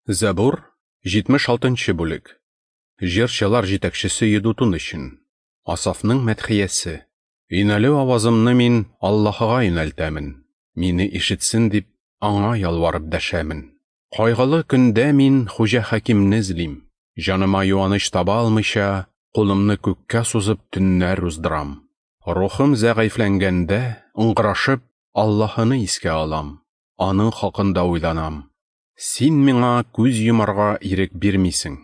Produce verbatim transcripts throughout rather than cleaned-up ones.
Зәбур, җитмеш алтынчы бүлек. Җырчылар җитәкчесе Йедутун өчен. Асафның мәдхиясе. Юнәлү авазымны мин Аллаһыга юнәлтәмен. Мине ишетсен дип, аңа ялварып дәшәмен. Кайгылы көндә мин Хуҗа Хакимне эзлим. Җаныма юаныч таба алмыйча, кулымны күккә сузып төннәр уздырам. Рухым зәгыйфьләнгәндә, ыңгырашып, Аллаһыны искә алам. Аның хакында уйланам. Син миңа күз йомарга ирек бирмисең.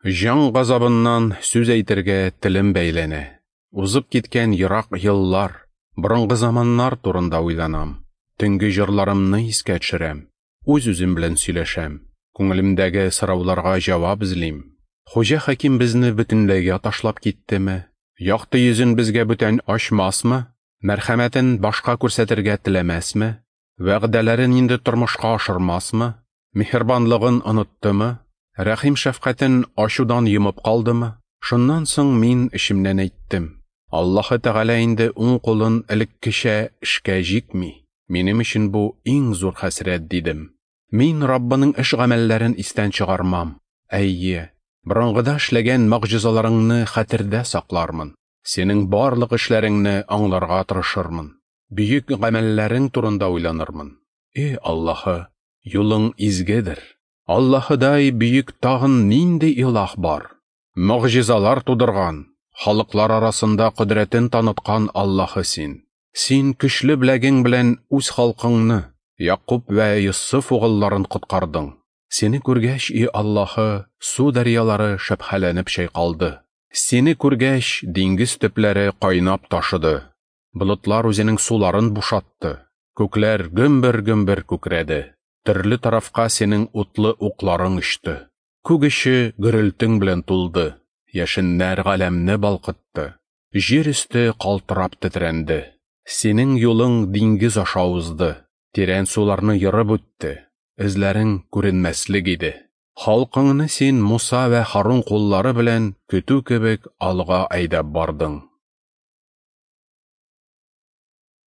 Җан газабыннан сүз әйтергә телем бәйләнә. Узып киткән ерак еллар, борынгы заманнар турында уйланам. Төнге җырларымны искә төшерәм. Үз-үзем белән сөйләшәм. Күңелемдәге сорауларга җавап эзлим. Хуҗа Хаким безне бөтенләйгә ташлап киттеме? Якты йөзен безгә бүтән ачмасмы? Мәрхәмәтен башка күрсәтергә теләмәсме? Вәгъдәләрен инде тормышка ашырмасмы? Миһербанлыгын оныттымы? Рәхим шәфкатен ачудан йомып калдымы? Шуннан соң мин эчемнән әйттем: Аллаһы Тәгалә инде уң кулын элеккечә эшкә җикми. Минем өчен бу иң зур хәсрәт, дидем. Мин Раббының эш гамәлләрен истән чыгармам. Әйе, борынгыда эшләгән могҗизаларыңны хәтердә саклармын. Синең барлык эшләреңне аңларга тырышырмын. Бөек гамәлләрең турында уйланырмын. Эй Аллаһы, юлың изгедер. Аллаһыдай бөек тагын нинди илаһ бар? Могҗизалар тудырган, халыклар арасында кодрәтен таныткан Аллаһы син. Син көчле беләгең белән үз халкыңны, Якуб вә Йосыф угылларын коткардың. Сине күргәч, и Аллаһы, су дәрьялары шөбһәләнеп чайкалды. Сине күргәч, диңгез төпләре кайнап ташыды. Болытлар үзенең суларын бушатты. Күкләр гөмбер-гөмбер күкрәде. Төрле тарафка синең утлы укларың очты. Күк эче гөрелтең белән тулды. Яшеннәр галәмне балкытты. Җир өсте калтырап тетрәнде. Синең юлың диңгез аша узды. Тирән суларны ерып үтте. Эзләрең күренмәслек иде. Халкыңны син Муса вә Харун куллары белән көтү кебек алга әйдәп бардың.